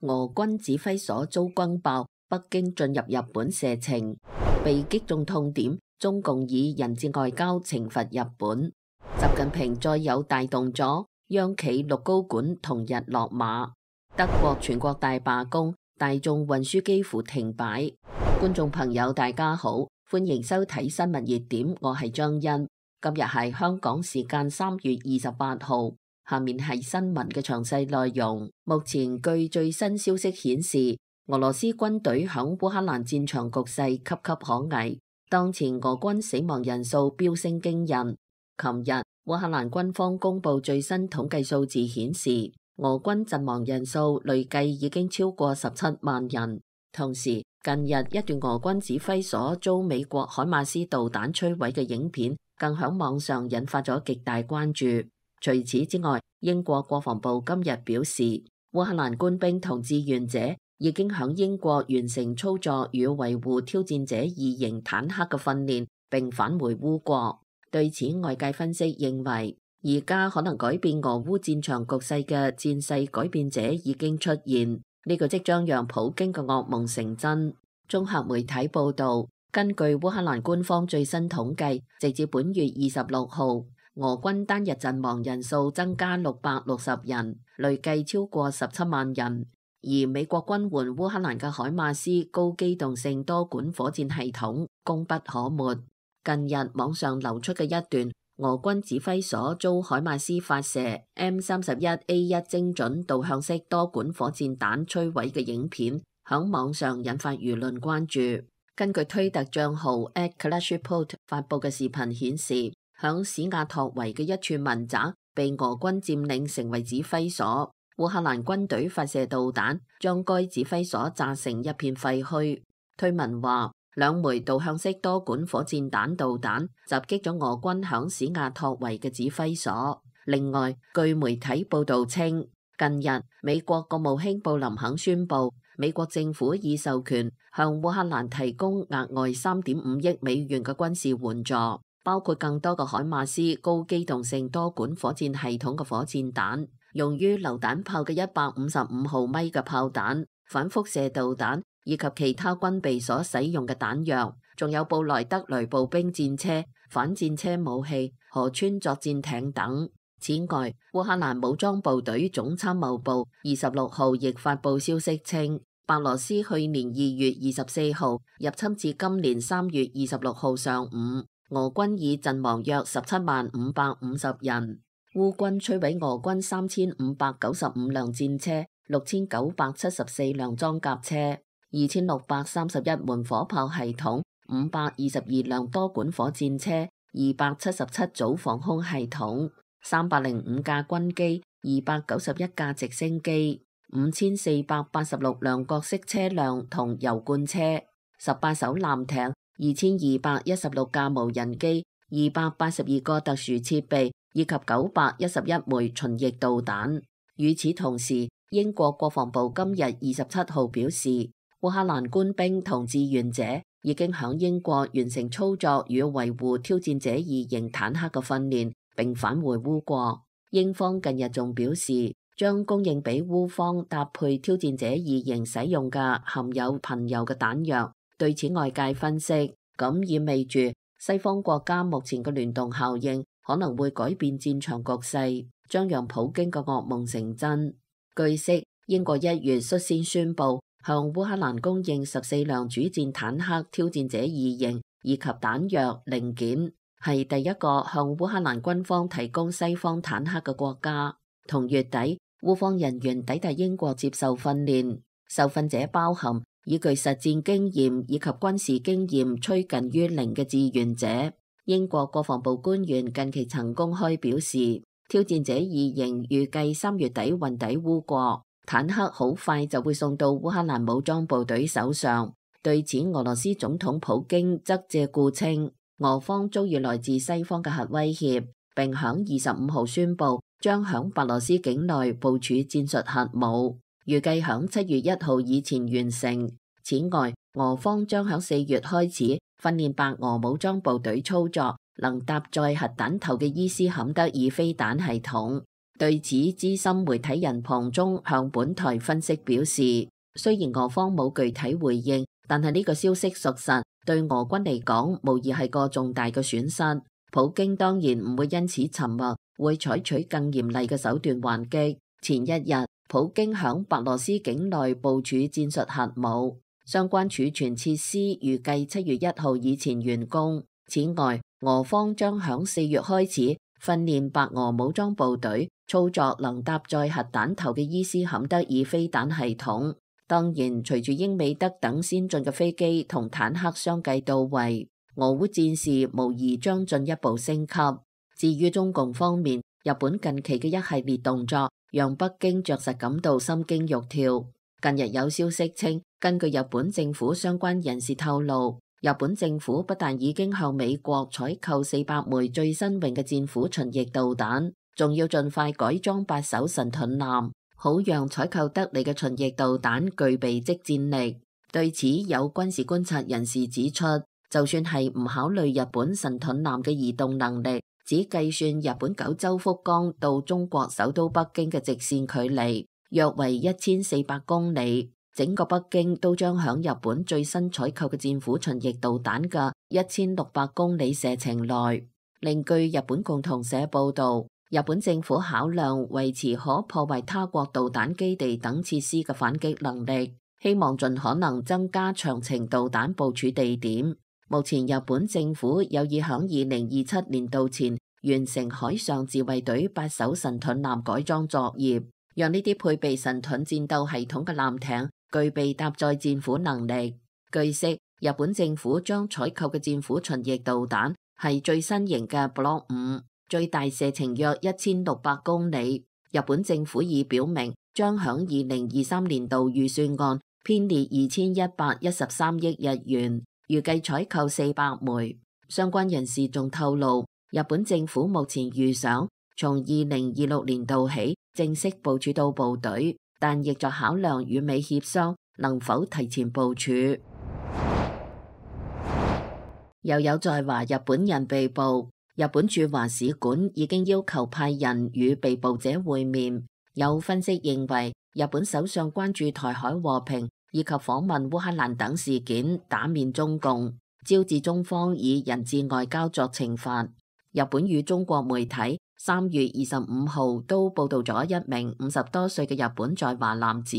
俄軍指揮所遭轟爆，北京進入日本射程，被擊中痛點，中共以人質外交懲罰日本。習近平再有大動作，央企6高管同日落馬。德國全國大罷工，大眾運輸幾乎停擺。觀眾朋友大家好，歡迎收睇新聞熱點，我係張欣。今日係香港時間3月28號，下面係新聞嘅詳細內容。目前據最新消息顯示，俄羅斯軍隊響烏克蘭戰場局勢岌岌可危，當前俄軍死亡人數飆升驚人。琴日烏克蘭軍方公布最新統計數字顯示，俄軍陣亡人數累計已經超過17萬人。同時，近日一段俄軍指揮所遭美國海馬斯導彈摧毀嘅影片，更響網上引發咗極大關注。除此之外，英國國防部今日表示，烏克蘭官兵同志願者已經響英國完成操作與維護挑戰者2型坦克嘅訓練，並返回烏國。對此，外界分析認為，而家可能改變俄烏戰場局勢嘅戰勢改變者已經出現，呢個即將讓普京嘅噩夢成真。綜合媒體報道，根據烏克蘭官方最新統計，直至本月26號，俄軍單日陣亡人數增加660人，累計超過17萬人。而美國軍援烏克蘭嘅海馬斯高機動性多管火箭系統功不可沒。近日網上流出嘅一段俄軍指揮所遭海馬斯發射 M31A1 精準導向式多管火箭彈摧毀嘅影片，響網上引發輿論關注。根據推特賬號 @KlashReport 發佈嘅視頻顯示，響史亞托維嘅一處民宅被俄軍佔領成為指揮所，烏克蘭軍隊發射導彈將該指揮所炸成一片廢墟。推文話，2枚導向式多管火箭彈導彈襲擊咗俄軍響史亞托維嘅指揮所。另外，據媒體報道稱，近日美國國務卿布林肯宣布，美國政府已授權向烏克蘭提供額外3.5億美元嘅軍事援助，包括更多嘅海馬斯高機動性多管火箭系統嘅火箭彈，用於榴彈炮嘅155毫米嘅炮彈、反輻射導彈以及其他軍備所使用嘅彈藥，仲有布萊德雷步兵戰車、反戰車武器、河川作戰艇等。此外，烏克蘭武裝部隊總參謀部26號亦發佈消息稱，白羅斯去年2月24號入侵至今年3月26號上午，俄軍已陣亡約17萬550人。烏軍摧毀俄軍3595輛戰車、6974輛裝甲車、2631門火炮系統、522輛多管火箭車、277組防空系統、305架軍機、291架直升機、5486輛各式車輛同油罐車、18艘艦艇、2216架無人機、282個特殊設備以及911枚巡弋導彈。與此同時，英國國防部今日27號表示，烏克蘭官兵同志願者已經響英國完成操作與維護挑戰者2型坦克嘅訓練，並返回烏國。英方近日仲表示，將供應俾烏方搭配挑戰者2型使用嘅含有貧鈾嘅彈藥。對此，外界分析，咁意味住西方國家目前嘅聯動效應可能會改變戰場局勢，將讓普京嘅噩夢成真。據悉，英國1月率先宣布向烏克蘭供應14輛主戰坦克挑戰者2型以及彈藥零件，係第一個向烏克蘭軍方提供西方坦克嘅國家。同月底，烏方人員抵達英國接受訓練，受訓者包含已具實戰經驗以及軍事經驗趨近於零嘅志願者。英國國防部官員近期曾公開表示，挑戰者2型預計3月底運抵烏國，坦克好快就會送到烏克蘭武裝部隊手上。對此，俄羅斯總統普京則借故稱，俄方遭遇來自西方嘅核威脅，並響25號宣布將響白羅斯境內部署戰術核武，預計響7月1號以前完成。此外，俄方將響4月開始訓練白俄武裝部隊操作能搭載核彈頭嘅伊斯坎德爾飛彈系統。對此，資深媒體人龐中向本台分析表示，雖然俄方冇具體回應，但係呢個消息屬實，對俄軍嚟講無疑係個重大嘅損失。普京當然唔會因此沉默，會採取更嚴厲嘅手段還擊。前一日，普京響白羅斯境內部署戰術核武，相關儲存設施預計7月1號以前完工。此外，俄方將響4月開始訓練白俄武裝部隊操作能搭載核彈頭嘅伊斯坎德爾飛彈系統。當然，隨住英美德等先進嘅飛機同坦克相繼到位，俄烏戰事無疑將進一步升級。至於中共方面，日本近期嘅一系列動作讓北京着實感到心驚肉跳。近日有消息稱，根據日本政府相關人士透露，日本政府不但已經向美國採購400枚最新穎嘅戰斧巡弋導彈，仲要盡快改裝8艘神盾艦，好讓採購得嚟嘅巡弋導彈具備即戰力。對此，有軍事觀察人士指出，就算係唔考慮日本神盾艦嘅移動能力，只計算日本九州福岡到中國首都北京嘅直線距離約為1400公里，整個北京都將響日本最新採購嘅戰斧巡弋導彈嘅1600公里射程內。另據日本共同社報道，日本政府考量維持可破壞他國導彈基地等設施嘅反擊能力，希望盡可能增加長程導彈部署地點。目前日本政府有意響2027年度前完成海上自衛隊8艘神盾艦改裝作業，讓呢啲配備神盾戰鬥系統嘅艦艇具備搭載戰斧能力。據悉，日本政府將採購嘅戰斧巡弋導彈係最新型嘅 Block 5，最大射程約1600公里。日本政府已表明將響2023年度預算案編列2113億日元，預計採購400枚。相關人士仲透露，日本政府目前預想從2026年度起正式部署到部隊，但亦在考量與美協商能否提前部署。又有在華日本人被捕，日本駐華使館已經要求派人與被捕者會面。有分析認為，日本首相關注台海和平以及訪問烏克蘭等事件，打面中共，招致中方以人質外交作懲罰。日本與中國媒體3月25號都報道咗一名50多歲嘅日本在華男子，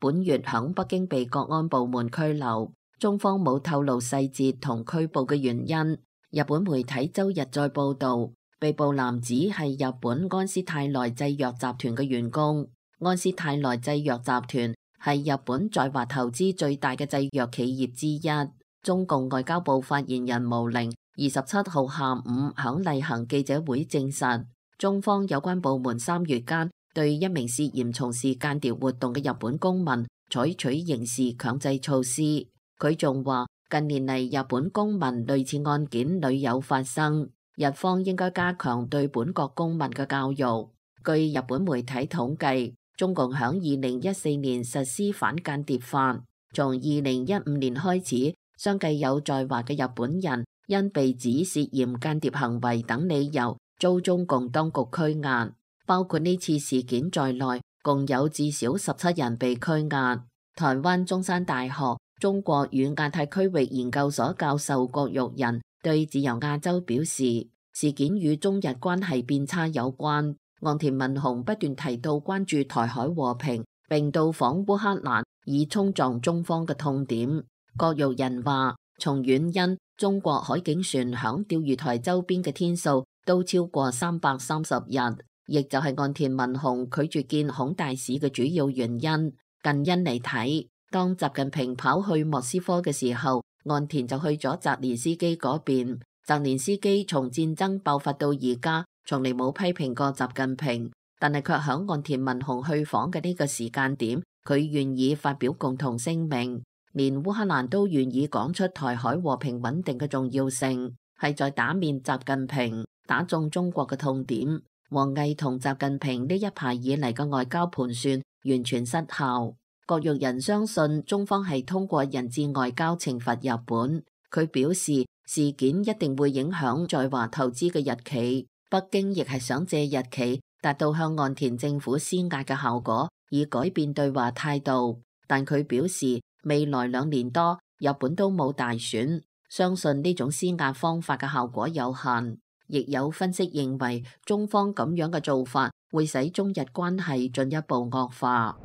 本月響北京被國安部門拘留，中方冇透露細節同拘捕嘅原因。日本媒體周日再報道，被捕男子係日本安斯泰來製藥集團嘅員工。安斯泰來製藥集團係日本在華投資最大嘅製藥企業之一。中共外交部發言人毛寧27號下午響例行記者會證實，中方有關部門3月間對一名涉嫌從事間諜活動嘅日本公民採取刑事強制措施。佢仲話，近年嚟日本公民類似案件屢有發生，日方應該加強對本國公民嘅教育。據日本媒體統計，中共響2014年實施反間諜法，從2015年開始，相繼有在華嘅日本人因被指涉嫌間諜行為等理由遭中共當局拘押，包括呢次事件在內，共有至少17人被拘押。台灣中山大學中國與亞太區域研究所教授郭玉仁對自由亞洲表示，事件與中日關係變差有關。岸田文雄不斷提到關注台海和平，並到訪烏克蘭，以衝撞中方嘅痛點。郭玉仁話，從遠因中國海警船響釣魚台周邊嘅天數都超過330日，亦就係岸田文雄拒絕見孔大使嘅主要原因。近因嚟睇，當習近平跑去莫斯科嘅時候，岸田就去咗澤連斯基嗰邊。澤連斯基從戰爭爆發到而家，從嚟冇批評過習近平，但係卻響岸田文雄去訪嘅呢個時間點，佢願意發表共同聲明，連烏克蘭都願意講出台海和平穩定嘅重要性，係在打面習近平，打中中國嘅痛點。王毅同習近平呢一排以嚟嘅外交盤算完全失效。郭玉仁相信中方係通過人質外交懲罰日本。佢表示，事件一定會影響在華投資嘅日企，北京亦係想借日企達到向岸田政府施壓嘅效果，以改變對華態度。但佢表示，未來2年多日本都冇大選，相信呢種施壓方法嘅效果有限。亦有分析認為，中方咁樣嘅做法會使中日關係進一步惡化。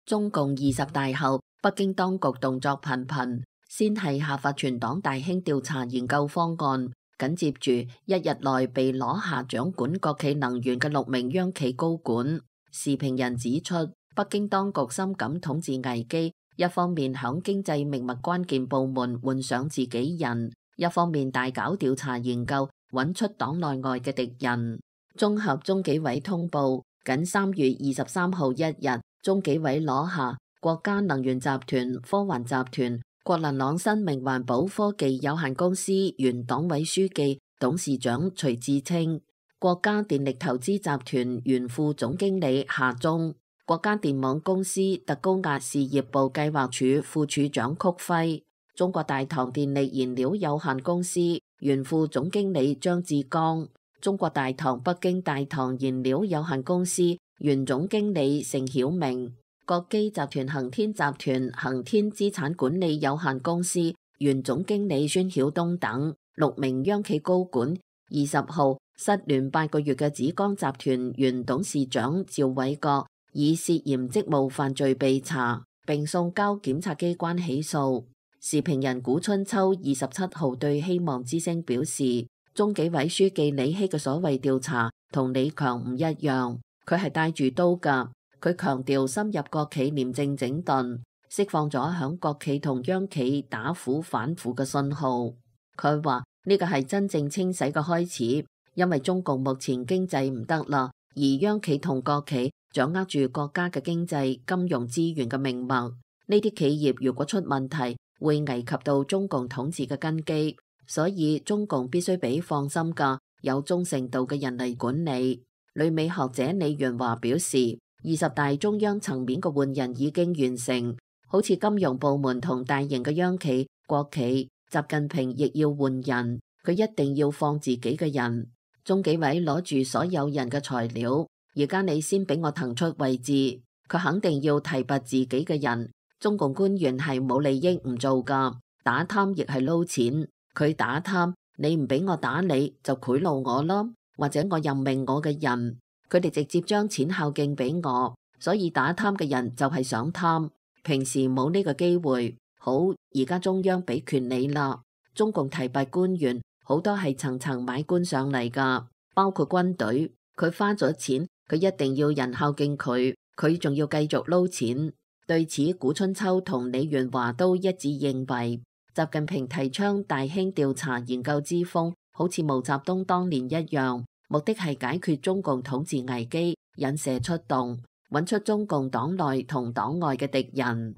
中共20大後，北京當局動作頻頻，先係下發全黨大興調查研究方案，緊接住1日內被攞下掌管國企能源嘅6名央企高管。時評人指出，北京當局深感統治危機，一方面響經濟命脈關鍵部門換上自己人，一方面大搞調查研究，揾出黨內外嘅敵人。綜合中紀委通報，僅3月23號1日，中紀委攞下國家能源集團、科環集團、國能朗生命環保科技有限公司原黨委書記、董事長徐志清，國家電力投資集團原副總經理夏忠，國家電網公司特高壓事業部計劃處副處長曲輝，中國大唐電力燃料有限公司原副總經理張志剛，中國大唐北京大唐燃料有限公司原總經理盛曉明，國基集團恒天集團恒天資產管理有限公司原總經理孫曉東等6名央企高管，20號失聯8個月嘅紫光集團原董事長趙偉國以涉嫌職務犯罪被查，並送交檢察機關起訴。時評人古春秋27號對希望之聲表示，中紀委書記李希嘅所謂調查同李強唔一樣，佢係帶住刀㗎。佢強調深入國企廉政整頓，釋放咗響國企同央企打虎反腐嘅信號。佢話呢個係真正清洗嘅開始，因為中共目前經濟唔得啦，而央企同國企掌握住國家嘅經濟金融資源嘅命脈，呢啲企業如果出問題，會危及到中共統治嘅根基，所以中共必須俾放心嘅有忠誠度嘅人嚟管理。旅美學者李元華表示，20大中央層面嘅換人已經完成，好似金融部門同大型嘅央企、國企，習近平亦要換人，佢一定要放自己嘅人。中紀委攞住所有人嘅材料，而家你先俾我騰出位置，佢肯定要提拔自己嘅人。中共官員係冇利益唔做噶，打貪亦係撈錢。佢打貪，你唔俾我打你，就賄賂我咯，或者我任命我嘅人，佢哋直接將錢孝敬俾我，所以打貪嘅人就係想貪，平時冇呢個機會。好，而家中央俾權你啦，中共提拔官員好多係層層買官上嚟噶，包括軍隊，佢花咗錢，佢一定要人孝敬佢，佢仲要繼續撈錢。對此，古春秋同李元華都一致認為，習近平提倡大興調查研究之風，好似毛澤東當年一樣，目的係解決中共統治危機，引蛇出洞，揾出中共黨內同黨外嘅敵人。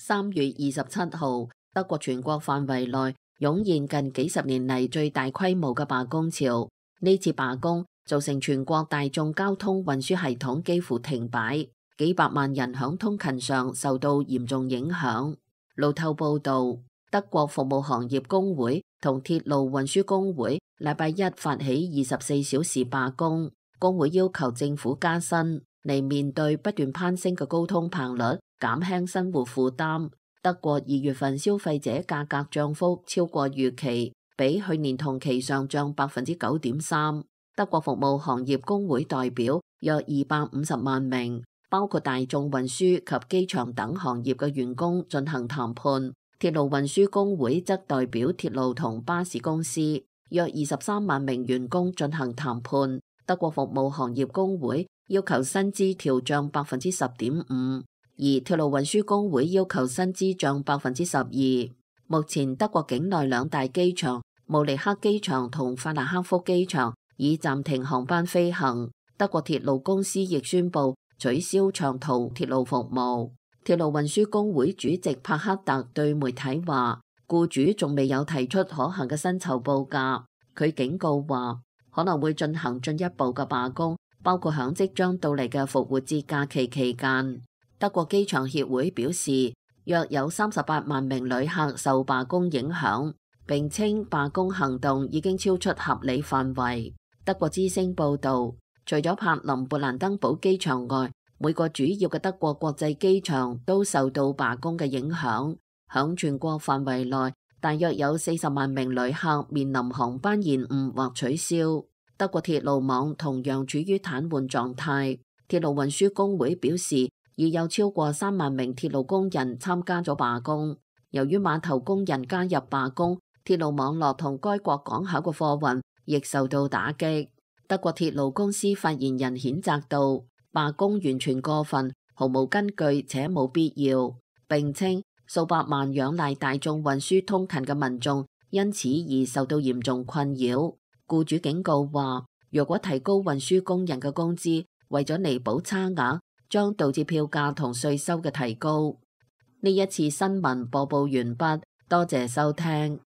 3月27號，德國全國範圍內湧現近幾十年嚟最大規模嘅罷工潮，呢次罷工造成全國大眾交通運輸系統幾乎停擺，幾百萬人響通勤上受到嚴重影響。路透報道，德國服務行業工會同鐵路運輸工會禮拜一發起24小時罷工，工會要求政府加薪，嚟面對不斷攀升嘅高通膨率，減輕生活負擔。德國2月份消費者價格漲幅超過預期，比去年同期上漲9.3%。德國服務行業工會代表約250萬名，包括大眾運輸及機場等行業嘅員工進行談判。鐵路運輸工會則代表鐵路同巴士公司約23萬名員工進行談判。德國服務行業工會要求薪資調漲10.5%，而鐵路運輸工會要求薪資漲12%。目前德國境內2大機場慕尼黑機場同法蘭克福機場已暫停航班飛行，德國鐵路公司亦宣布取消長途鐵路服務。鐵路運輸工會主席帕克特對媒體話，僱主仲未有提出可行嘅薪酬報價。佢警告話，可能會進行進一步嘅罷工，包括響即將到嚟嘅復活節假期期間。德國機場協會表示，約有38萬名旅客受罷工影響。並稱罷工行動已經超出合理範圍。德國之聲報導，除咗柏林勃蘭登堡機場外，每個主要嘅德國國際機場都受到罷工嘅影響。響全國範圍內，大約有40萬名旅客面臨航班延誤或取消。德國鐵路網同樣處於癱瘓狀態。鐵路運輸工會表示，已有超過3萬名鐵路工人參加咗罷工。由於碼頭工人加入罷工，鐵路網絡同該國港口嘅貨運亦受到打擊。德國鐵路公司發言人譴責道，罷工完全過分，毫無根據且冇必要。並稱數百萬仰賴大眾運輸通勤嘅民眾因此而受到嚴重困擾。僱主警告話，若果提高運輸工人嘅工資，為咗彌補差額，將導致票價同稅收嘅提高。呢一次新聞播報完畢，多謝收聽。